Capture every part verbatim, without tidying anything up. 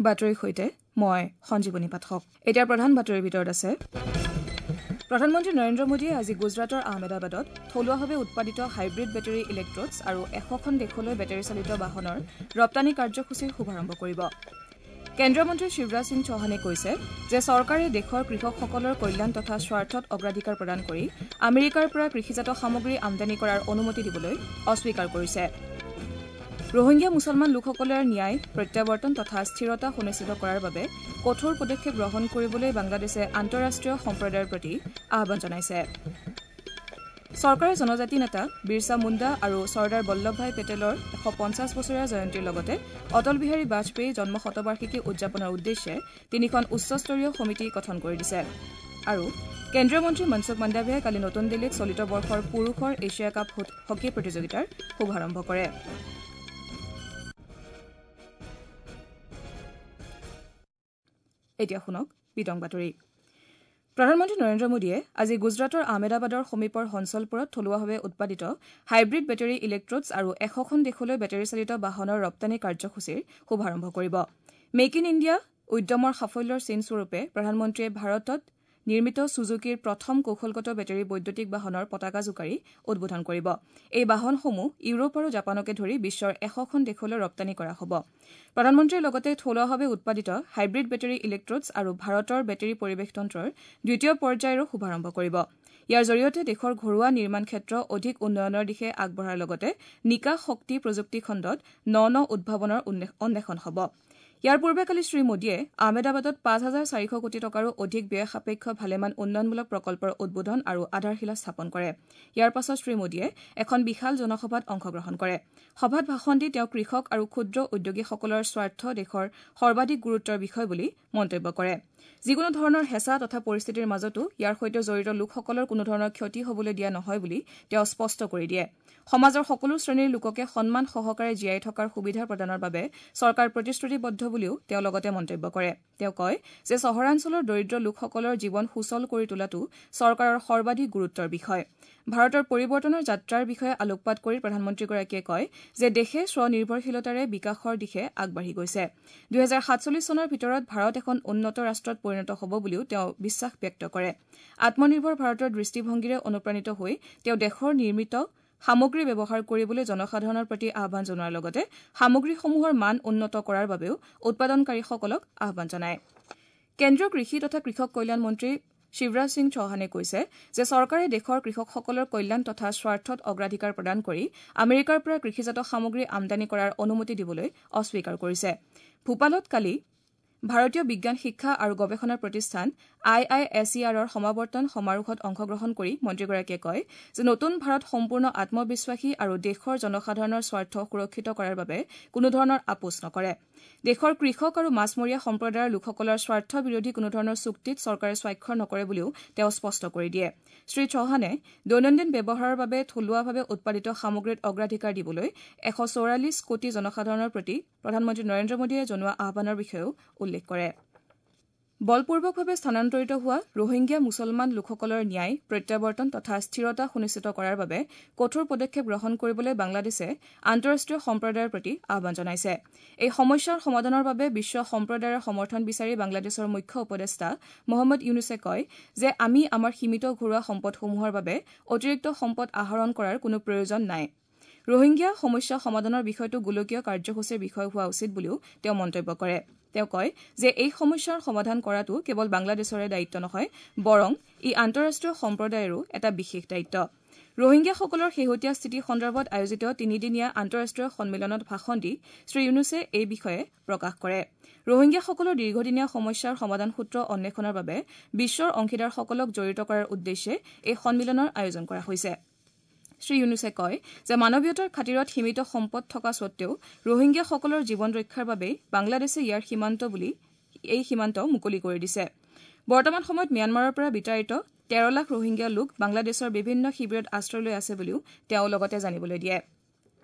বাতৰিৰ সৈতে মই সঞ্জীৱনী পাঠক। এতিয়া প্ৰধান বাতৰিৰ ভিতৰত আছে প্ৰধানমন্ত্ৰী নৰেন্দ্ৰ মোদীয়ে আজি গুজৰাটৰ আহমেদাবাদত থলুৱাভাৱে উৎপাদিত হাইব্ৰিড বেটেৰী ইলেক্ট্ৰডছ আৰু এশখন দেশলৈ বেটেৰীচালিত বাহনৰ ৰপ্তানি কাৰ্যসূচীৰ শুভাৰম্ভ কৰিব। কেন্দ্ৰীয় মন্ত্ৰী শিৱৰাজ সিং চৌহানে কৈছে যে চৰকাৰে দেশৰ কৃষকসকলৰ কল্যাণ তথা স্বাৰ্থত অগ্ৰাধিকাৰ প্ৰদান কৰি আমেৰিকাৰ পৰা কৃষিজাত সামগ্ৰী আমদানি কৰাৰ অনুমতি দিবলৈ অস্বীকাৰ কৰিছে। ৰোহিংগীয়া মুছলমান লোকসকলৰ ন্যায়, প্ৰত্যাৱৰ্তন তথা স্থিৰতা সুনিশ্চিত কৰাৰ বাবে কঠোৰ পদক্ষেপ গ্ৰহণ কৰিবলৈ বাংলাদেশে আন্তঃৰাষ্ট্ৰীয় সম্প্ৰদায়ৰ প্ৰতি আহ্বান জনাইছে। চৰকাৰে জনজাতি নেতা বিৰছা মুণ্ডা আৰু চৰ্দাৰ বল্লভভাই পেটেলৰ এশ পঞ্চাছ বছৰীয়া জয়ন্তীৰ লগতে অটল বিহাৰী বাজপেয়ীৰ জন্ম শতবাৰ্ষিকী উদযাপনৰ উদ্দেশ্যে তিনিখন উচ্চস্তৰীয় সমিতি গঠন কৰি দিছে। আৰু কেন্দ্ৰীয় মন্ত্ৰী মনসুখ মাণ্ডাভিয়াই কালি নতুন দিল্লীত চলিত বৰ্ষৰ পুৰুষৰ এছিয়া কাপ হকী প্ৰতিযোগিতাৰ শুভাৰম্ভ কৰে। এতিয়া শুনক বিতং বাতৰি। প্ৰধানমন্ত্ৰী নৰেন্দ্ৰ মোদীয়ে আজি গুজৰাটৰ আহমেদাবাদৰ সমীপৰ হঞ্চলপুৰত থলুৱাভাৱে উৎপাদিত হাইব্ৰিড বেটেৰী ইলেক্ট্ৰডছ আৰু এশখন দেশলৈ বেটেৰীচালিত বাহনৰ ৰপ্তানি কাৰ্যসূচীৰ শুভাৰম্ভ কৰিব। মেক ইন ইণ্ডিয়া উদ্যমৰ সাফল্যৰ চিনস্বৰূপে প্ৰধানমন্ত্ৰীয়ে ভাৰতত নিৰ্মিত ছুজুকিৰ প্ৰথম কৌশলগত বেটেৰী বৈদ্যুতিক বাহনৰ পতাকা জোকাৰি উদ্বোধন কৰিব। এই বাহনসমূহ ইউৰোপ আৰু জাপানকে ধৰি বিশ্বৰ এশখন দেশলৈ ৰপ্তানি কৰা হ'ব। প্ৰধানমন্ত্ৰীয়ে লগতে থলুৱাভাৱে উৎপাদিত হাইব্ৰিড বেটেৰী ইলেক্ট্ৰডছ আৰু ভাৰতৰ বেটেৰী পৰিৱেশতন্ত্ৰৰ দ্বিতীয় পৰ্যায়ৰো শুভাৰম্ভ কৰিব। ইয়াৰ জৰিয়তে দেশৰ ঘৰুৱা নিৰ্মাণ ক্ষেত্ৰ অধিক উন্নয়নৰ দিশে আগবঢ়াৰ লগতে নিকা শক্তি প্ৰযুক্তি খণ্ডত ন ন উদ্ভাৱনৰ অন্বেষণ হ'ব। ইয়াৰ পূৰ্বে কালি শ্ৰীমোদীয়ে আহমেদাবাদত পাঁচ হাজাৰ চাৰিশ কোটি টকাৰো অধিক ব্যয় সাপেক্ষ ভালেমান উন্নয়নমূলক প্ৰকল্পৰ উদ্বোধন আৰু আধাৰশিলা স্থাপন কৰে। ইয়াৰ পাছত শ্ৰীমোদীয়ে এখন বিশাল জনসভাত অংশগ্ৰহণ কৰে। সভাত ভাষণ দি তেওঁ কৃষক আৰু ক্ষুদ্ৰ উদ্যোগীসকলৰ স্বাৰ্থ দেশৰ সৰ্বাধিক গুৰুত্বৰ বিষয় বুলি মন্তব্য কৰে। যিকোনো ধৰণৰ হেঁচা তথা পৰিস্থিতিৰ মাজতো ইয়াৰ সৈতে জড়িত লোকসকলৰ কোনো ধৰণৰ ক্ষতি হ'বলৈ দিয়া নহয় বুলি তেওঁ স্পষ্ট কৰি দিয়ে। সমাজৰ সকলো শ্ৰেণীৰ লোককে সন্মান সহকাৰে জীয়াই থকাৰ সুবিধা প্ৰদানৰ বাবে চৰকাৰ প্ৰতিশ্ৰুতিবদ্ধ বুলিও তেওঁ লগতে মন্তব্য কৰে। তেওঁ কয় যে চহৰাঞ্চলৰ দৰিদ্ৰ লোকসকলৰ জীৱন সুচল কৰি তোলাটো চৰকাৰৰ সৰ্বাধিক গুৰুত্বৰ বিষয়। ভাৰতৰ পৰিৱৰ্তনৰ যাত্ৰাৰ বিষয়ে আলোকপাত কৰি প্ৰধানমন্ত্ৰীগৰাকীয়ে কয় যে দেশে স্বনিৰ্ভৰশীলতাৰে বিকাশৰ দিশে আগবাঢ়ি গৈছে। দুহেজাৰ সাতচল্লিছ চনৰ ভিতৰত ভাৰত এখন উন্নত ৰাষ্ট্ৰত পৰিণত হ'ব বুলিও তেওঁ বিশ্বাস ব্যক্ত কৰে। আত্মনিৰ্ভৰ ভাৰতৰ দৃষ্টিভংগীৰে অনুপ্ৰাণিত হৈ তেওঁ দেশৰ নিৰ্মিত সামগ্ৰী ব্যৱহাৰ কৰিবলৈ জনসাধাৰণৰ প্ৰতি আহ্বান জনোৱাৰ লগতে সামগ্ৰীসমূহৰ মান উন্নত কৰাৰ বাবেও উৎপাদনকাৰীসকলক আহ্বান জনায়। কেন্দ্ৰীয় কৃষি তথা কৃষক কল্যাণ মন্ত্ৰী শিৱৰাজ সিং চৌহানে কৈছে যে চৰকাৰে দেশৰ কৃষকসকলৰ কল্যাণ তথা স্বাৰ্থত অগ্ৰাধিকাৰ প্ৰদান কৰি আমেৰিকাৰ পৰা কৃষিজাত সামগ্ৰী আমদানি কৰাৰ অনুমতি দিবলৈ অস্বীকাৰ কৰিছে। ভূপালত কালি ভাৰতীয় বিজ্ঞান শিক্ষা আৰু গৱেষণা প্ৰতিষ্ঠান আই I S ই আৰৰ সমাৱৰ্তন সমাৰোহত অংশগ্ৰহণ কৰি মন্ত্ৰীগৰাকীয়ে কয় যে নতুন ভাৰত সম্পূৰ্ণ আত্মবিশ্বাসী আৰু দেশৰ জনসাধাৰণৰ স্বাৰ্থ সুৰক্ষিত কৰাৰ বাবে কোনোধৰণৰ আপোচ নকৰে। দেশৰ কৃষক আৰু মাছমৰীয়া সম্প্ৰদায়ৰ লোকসকলৰ স্বাৰ্থ বিৰোধী কোনোধৰণৰ চুক্তিত চৰকাৰে স্বাক্ষৰ নকৰে বুলিও তেওঁ স্পষ্ট কৰি দিয়ে। শ্ৰী চৌহানে দৈনন্দিন ব্যৱহাৰৰ বাবে থলুৱাভাৱে উৎপাদিত সামগ্ৰীত অগ্ৰাধিকাৰ দিবলৈ এশ চৌৰাল্লিছ কোটি জনসাধাৰণৰ প্ৰতি প্ৰধানমন্ত্ৰী নৰেন্দ্ৰ মোদীয়ে জনোৱা আহ্বানৰ বিষয়েও উল্লেখ কৰে। বলপূৰ্বকভাৱে স্থানান্তৰিত হোৱা ৰোহিংগীয়া মুছলমান লোকসকলৰ ন্যায়, প্ৰত্যাৱৰ্তন তথা স্থিৰতা সুনিশ্চিত কৰাৰ বাবে কঠোৰ পদক্ষেপ গ্ৰহণ কৰিবলৈ বাংলাদেশে আন্তঃৰাষ্ট্ৰীয় সম্প্ৰদায়ৰ প্ৰতি আহ্বান জনাইছে। এই সমস্যাৰ সমাধানৰ বাবে বিশ্ব সম্প্ৰদায়ৰ সমৰ্থন বিচাৰি বাংলাদেশৰ মুখ্য উপদেষ্টা মহম্মদ ইউনুছে কয় যে আমি আমাৰ সীমিত ঘৰুৱা সম্পদসমূহৰ বাবে অতিৰিক্ত সম্পদ আহৰণ কৰাৰ কোনো প্ৰয়োজন নাই। ৰোহিংগীয়া সমস্যা সমাধানৰ বিষয়টো গোলকীয় কাৰ্যসূচীৰ বিষয় হোৱা উচিত বুলিও তেওঁ মন্তব্য কৰে। তেওঁ কয় যে এই সমস্যাৰ সমাধান কৰাটো কেৱল বাংলাদেশৰে দায়িত্ব নহয়, বৰং ই আন্তঃৰাষ্ট্ৰীয় সম্প্ৰদায়ৰো এটা বিশেষ দায়িত্ব। ৰোহিংগীয়াসকলৰ শেহতীয়া স্থিতি সন্দৰ্ভত আয়োজিত তিনিদিনীয়া আন্তঃৰাষ্ট্ৰীয় সন্মিলনত ভাষণ দি শ্ৰীইউনুছে এই বিষয়ে প্ৰকাশ কৰে। ৰোহিংগীয়াসকলৰ দীৰ্ঘদিনীয়া সমস্যাৰ সমাধান সূত্ৰ অন্বেষণৰ বাবে বিশ্বৰ অংশীদাৰসকলক জড়িত কৰাৰ উদ্দেশ্যে এই সন্মিলনৰ আয়োজন কৰা হৈছে। শ্ৰীইউনুছে কয় যে মানৱীয়তাৰ খাতিৰত সীমিত সম্পদ থকা সত্বেও ৰোহিংগীয়াসকলৰ জীৱন ৰক্ষাৰ বাবেই বাংলাদেশে ইয়াৰ সীমান্ত বুলি এই সীমান্ত মুকলি কৰি দিছে। বৰ্তমান সময়ত ম্যানমাৰৰ পৰা বিতাড়িত তেৰ লাখ ৰোহিংগীয়া লোক বাংলাদেশৰ বিভিন্ন শিবিৰত আশ্ৰয় লৈ আছে বুলিও তেওঁ লগতে জানিবলৈ দিয়ে।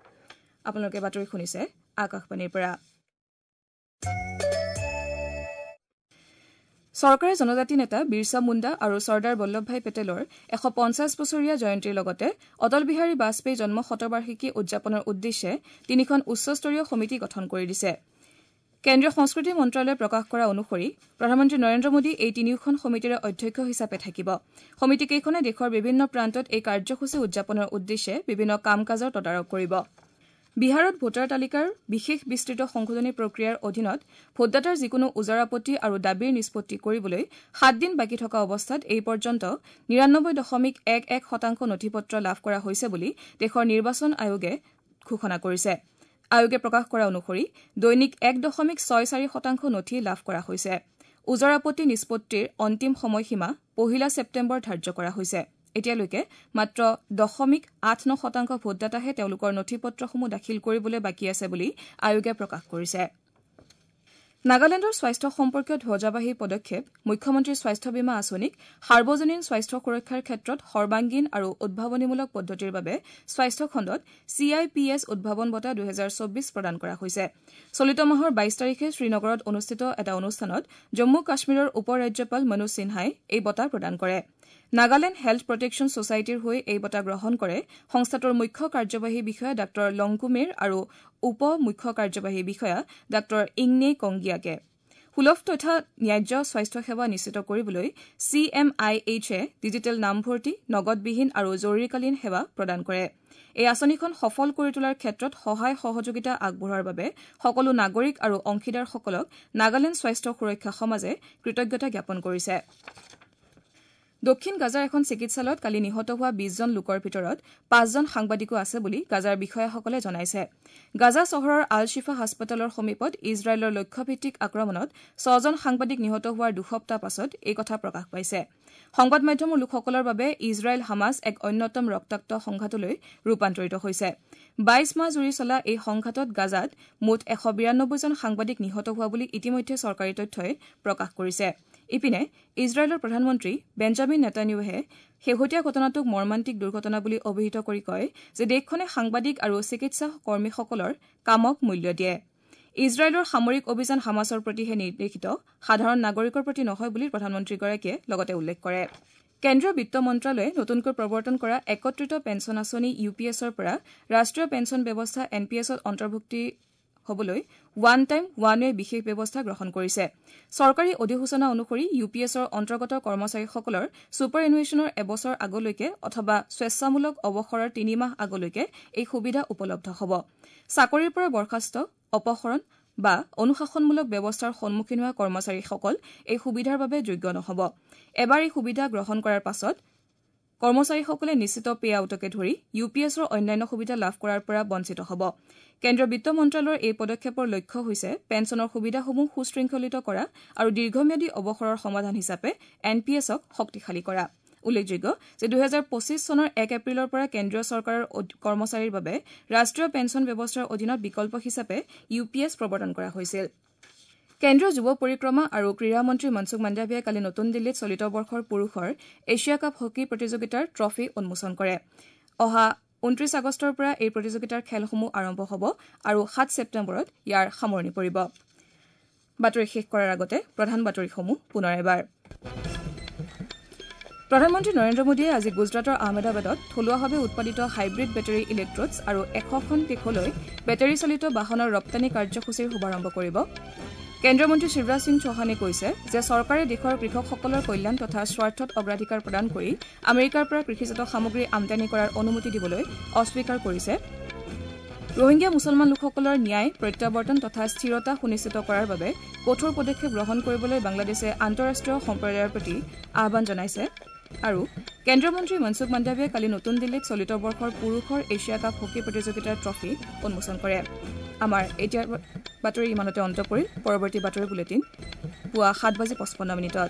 আপোনালোকে বাতৰি শুনিছে আকাশবাণীৰ পৰা। চৰকাৰে জনজাতি নেতা বিৰছা মুণ্ডা আৰু চৰ্দাৰ বল্লভভাই পেটেলৰ এশ পঞ্চাছ বছৰীয়া জয়ন্তীৰ লগতে অটল বিহাৰী বাজপেয়ী জন্ম শতবাৰ্ষিকী উদযাপনৰ উদ্দেশ্যে তিনিখন উচ্চস্তৰীয় সমিতি গঠন কৰি দিছে। কেন্দ্ৰীয় সংস্কৃতি মন্ত্ৰালয়ে প্ৰকাশ কৰা অনুসৰি প্ৰধানমন্ত্ৰী নৰেন্দ্ৰ মোদী এই তিনিওখন সমিতিৰে অধ্যক্ষ হিচাপে থাকিব। সমিতিকেইখনে দেশৰ বিভিন্ন প্ৰান্তত এই কাৰ্যসূচী উদযাপনৰ উদ্দেশ্যে বিভিন্ন কাম কাজৰ তদাৰক কৰিব। বিহাৰত ভোটাৰ তালিকাৰ বিশেষ বিস্তৃত সংশোধনী প্ৰক্ৰিয়াৰ অধীনত ভোটদাতাৰ যিকোনো ওজৰ আপত্তি আৰু দাবীৰ নিষ্পত্তি কৰিবলৈ সাত দিন বাকী থকা অৱস্থাত এই পৰ্যন্ত নিৰানব্বৈ দশমিক এক এক শতাংশ নথি পত্ৰ লাভ কৰা হৈছে বুলি দেশৰ নিৰ্বাচন আয়োগে ঘোষণা কৰিছে। আয়োগে প্ৰকাশ কৰা অনুসৰি দৈনিক এক দশমিক ছয় চাৰি শতাংশ নথি লাভ কৰা হৈছে। ওজৰ আপত্তি নিষ্পত্তিৰ অন্তিম সময়সীমা পহিলা ছেপ্টেম্বৰ ধাৰ্য কৰা হৈছে। এতিয়ালৈকে মাত্ৰ দশমিক আঠ ন শতাংশ ভোটদাতাহে তেওঁলোকৰ নথি পত্ৰসমূহ দাখিল কৰিবলৈ বাকী আছে বুলি আয়োগে প্ৰকাশ কৰিছে। নাগালেণ্ডৰ স্বাস্থ্য সম্পৰ্কীয় ধ্বজাবাহী পদক্ষেপ মুখ্যমন্ত্ৰী স্বাস্থ্য বীমা আঁচনিক সাৰ্বজনীন স্বাস্থ্য সুৰক্ষাৰ ক্ষেত্ৰত সৰ্বাংগীন আৰু উদ্ভাৱনীমূলক পদ্ধতিৰ বাবে স্বাস্থ্য খণ্ডত চি I P S উদ্ভাৱন বঁটা দুহেজাৰ চৌবিশ প্ৰদান কৰা হৈছে। চলিত মাহৰ বাইশ তাৰিখে শ্ৰীনগৰত অনুষ্ঠিত এটা অনুষ্ঠানত জম্মু কাশ্মীৰৰ উপ ৰাজ্যপাল মনোজ সিনহাই এই বঁটা প্ৰদান কৰে। নাগালেণ্ড হেল্থ প্ৰটেকশ্যন ছচাইটিৰ হৈ এই বঁটা গ্ৰহণ কৰে সংস্থাটোৰ মুখ্য কাৰ্যবাহী বিষয়া ডাঃ লংকুমেৰ আৰু উপ মুখ্য কাৰ্যবাহী বিষয়া ডাঃ ইংনে কংগিয়াকে। সুলভ তথা ন্যায্য স্বাস্থ্য সেৱা নিশ্চিত কৰিবলৈ চি এম আই এইচে ডিজিটেল নামভৰ্তি, নগদবিহীন আৰু জৰুৰীকালীন সেৱা প্ৰদান কৰে। এই আঁচনিখন সফল কৰি তোলাৰ ক্ষেত্ৰত সহায় সহযোগিতা আগবঢ়োৱাৰ বাবে সকলো নাগৰিক আৰু অংশীদাৰসকলক নাগালেণ্ড স্বাস্থ্য সুৰক্ষা সমাজে কৃতজ্ঞতা জ্ঞাপন কৰিছে। দক্ষিণ গাজাৰ এখন চিকিৎসালয়ত কালি নিহত হোৱা বিশজন লোকৰ ভিতৰত পাঁচজন সাংবাদিকো আছে বুলি গাজাৰ বিষয়াসকলে জনাইছে। গাজা চহৰৰ আল শ্বিফা হাস্পতালৰ সমীপত ইজৰাইলৰ লক্ষ্যভিত্তিক আক্ৰমণত ছজন সাংবাদিক নিহত হোৱাৰ দুসপ্তাহ পাছত এই কথা প্ৰকাশ পাইছে। সংবাদ মাধ্যমৰ লোকসকলৰ বাবে ইজৰাইল হামাছ এক অন্যতম ৰক্তাক্ত সংঘাতলৈ ৰূপান্তৰিত হৈছে। বাইশ মাহ জুৰি চলা এই সংঘাতত গাজাত মুঠ এশ বিৰানব্বৈজন সাংবাদিক নিহত হোৱা বুলি ইতিমধ্যে চৰকাৰী তথ্যই প্ৰকাশ কৰিছে। ইপিনে ইজৰাইলৰ প্ৰধানমন্ত্ৰী বেঞ্জামিন নেতানিয়াহুৱে শেহতীয়া ঘটনাটোক মৰ্মান্তিক দুৰ্ঘটনা বুলি অভিহিত কৰি কয় যে দেশখনে সাংবাদিক আৰু চিকিৎসা কৰ্মীসকলৰ কামক মূল্য দিয়ে। ইজৰাইলৰ সামৰিক অভিযান হামাছৰ প্ৰতিহে নিৰ্দেশিত, সাধাৰণ নাগৰিকৰ প্ৰতি নহয় বুলি প্ৰধানমন্ত্ৰীগৰাকীয়ে লগতে উল্লেখ কৰে। কেন্দ্ৰীয় বিত্ত মন্ত্ৰালয়ে নতুনকৈ প্ৰৱৰ্তন কৰা একত্ৰিত পেঞ্চন আঁচনি ইউ পি এছৰ পৰা ৰাষ্ট্ৰীয় পেঞ্চন ব্যৱস্থা এন পি এছত অন্তৰ্ভুক্তি হ'বলৈ ওৱান টাইম ওৱান ৱে বিশেষ ব্যৱস্থা গ্ৰহণ কৰিছে। চৰকাৰী অধিসূচনা অনুসৰি ইউ পি এছৰ অন্তৰ্গত কৰ্মচাৰীসকলৰ ছুপাৰ এনুৱেশ্যনৰ এবছৰ আগলৈকে অথবা স্বেচ্ছামূলক অৱসৰৰ তিনিমাহ আগলৈকে এই সুবিধা উপলব্ধ হ'ব। চাকৰিৰ পৰা বৰ্খাস্ত, অপসৰণ বা অনুশাসনমূলক ব্যৱস্থাৰ সন্মুখীন হোৱা কৰ্মচাৰীসকল এই সুবিধাৰ বাবে যোগ্য নহ'ব। এবাৰ এই সুবিধা গ্ৰহণ কৰাৰ পাছত কৰ্মচাৰীসকলে নিশ্চিত পে আউটকে ধৰি ইউ পি এছৰ অন্যান্য সুবিধা লাভ কৰাৰ পৰা বঞ্চিত হ'ব। কেন্দ্ৰীয় বিত্ত মন্ত্ৰালয়ৰ এই পদক্ষেপৰ লক্ষ্য হৈছে পেঞ্চনৰ সুবিধাসমূহ সুশৃংখলিত কৰা আৰু দীৰ্ঘম্যাদী অৱসৰৰ সমাধান হিচাপে এন পি এছক শক্তিশালী কৰা। উল্লেখযোগ্য যে দুহেজাৰ পঁচিছ চনৰ এক এপ্ৰিলৰ পৰা কেন্দ্ৰীয় চৰকাৰৰ কৰ্মচাৰীৰ বাবে ৰাষ্ট্ৰীয় পেঞ্চন ব্যৱস্থাৰ অধীনত বিকল্প হিচাপে ইউ পি এছ প্ৰৱৰ্তন কৰা হৈছিল। কেন্দ্ৰীয় যুৱ পৰিক্ৰমা আৰু ক্ৰীড়া মন্ত্ৰী মনসুখ মাণ্ডাভিয়াই কালি নতুন দিল্লীত চলিত বৰ্ষৰ পুৰুষৰ এছিয়া কাপ হকী প্ৰতিযোগিতাৰ ট্ৰফী উন্মোচন কৰে। অহা ঊনত্ৰিশ আগষ্টৰ পৰা এই প্ৰতিযোগিতাৰ খেলসমূহ আৰম্ভ হ'ব আৰু সাত ছেপ্টেম্বৰত ইয়াৰ সামৰণি পৰিব। বাতৰি শেষ কৰাৰ আগতে প্ৰধান বাতৰিসমূহ পুনৰ এবাৰ। প্ৰধানমন্ত্ৰী নৰেন্দ্ৰ মোদীয়ে আজি গুজৰাটৰ আহমেদাবাদত থলুৱাভাৱে উৎপাদিত হাইব্ৰিড বেটেৰী ইলেক্ট্ৰডছ আৰু এশখন দেশলৈ বেটেৰীচালিত বাহনৰ ৰপ্তানি কাৰ্যসূচীৰ শুভাৰম্ভ কৰিব। কেন্দ্ৰীয় মন্ত্ৰী শিৱৰাজ সিং চৌহানে কৈছে যে চৰকাৰে দেশৰ কৃষকসকলৰ কল্যাণ তথা স্বাৰ্থত অগ্ৰাধিকাৰ প্ৰদান কৰি আমেৰিকাৰ পৰা কৃষিজাত সামগ্ৰী আমদানি কৰাৰ অনুমতি দিবলৈ অস্বীকাৰ কৰিছে। ৰোহিংগীয়া মুছলমান লোকসকলৰ ন্যায়, প্ৰত্যাৱৰ্তন তথা স্থিৰতা সুনিশ্চিত কৰাৰ বাবে কঠোৰ পদক্ষেপ গ্ৰহণ কৰিবলৈ বাংলাদেশে আন্তঃৰাষ্ট্ৰীয় সম্প্ৰদায়ৰ প্ৰতি আহ্বান জনাইছে। আৰু কেন্দ্ৰীয় মন্ত্ৰী মনসুখ মাণ্ডাভিয়াই কালি নতুন দিল্লীত চলিত বৰ্ষৰ পুৰুষৰ এছিয়া কাপ হকী প্ৰতিযোগিতাৰ ট্ৰফী উন্মোচন কৰে। আমাৰ এতিয়াৰ বাতৰি ইমানতে অন্ত পৰিল। পৰৱৰ্তী বাতৰি বুলেটিন পুৱা সাত বাজি পঁচপন্ন মিনিটত।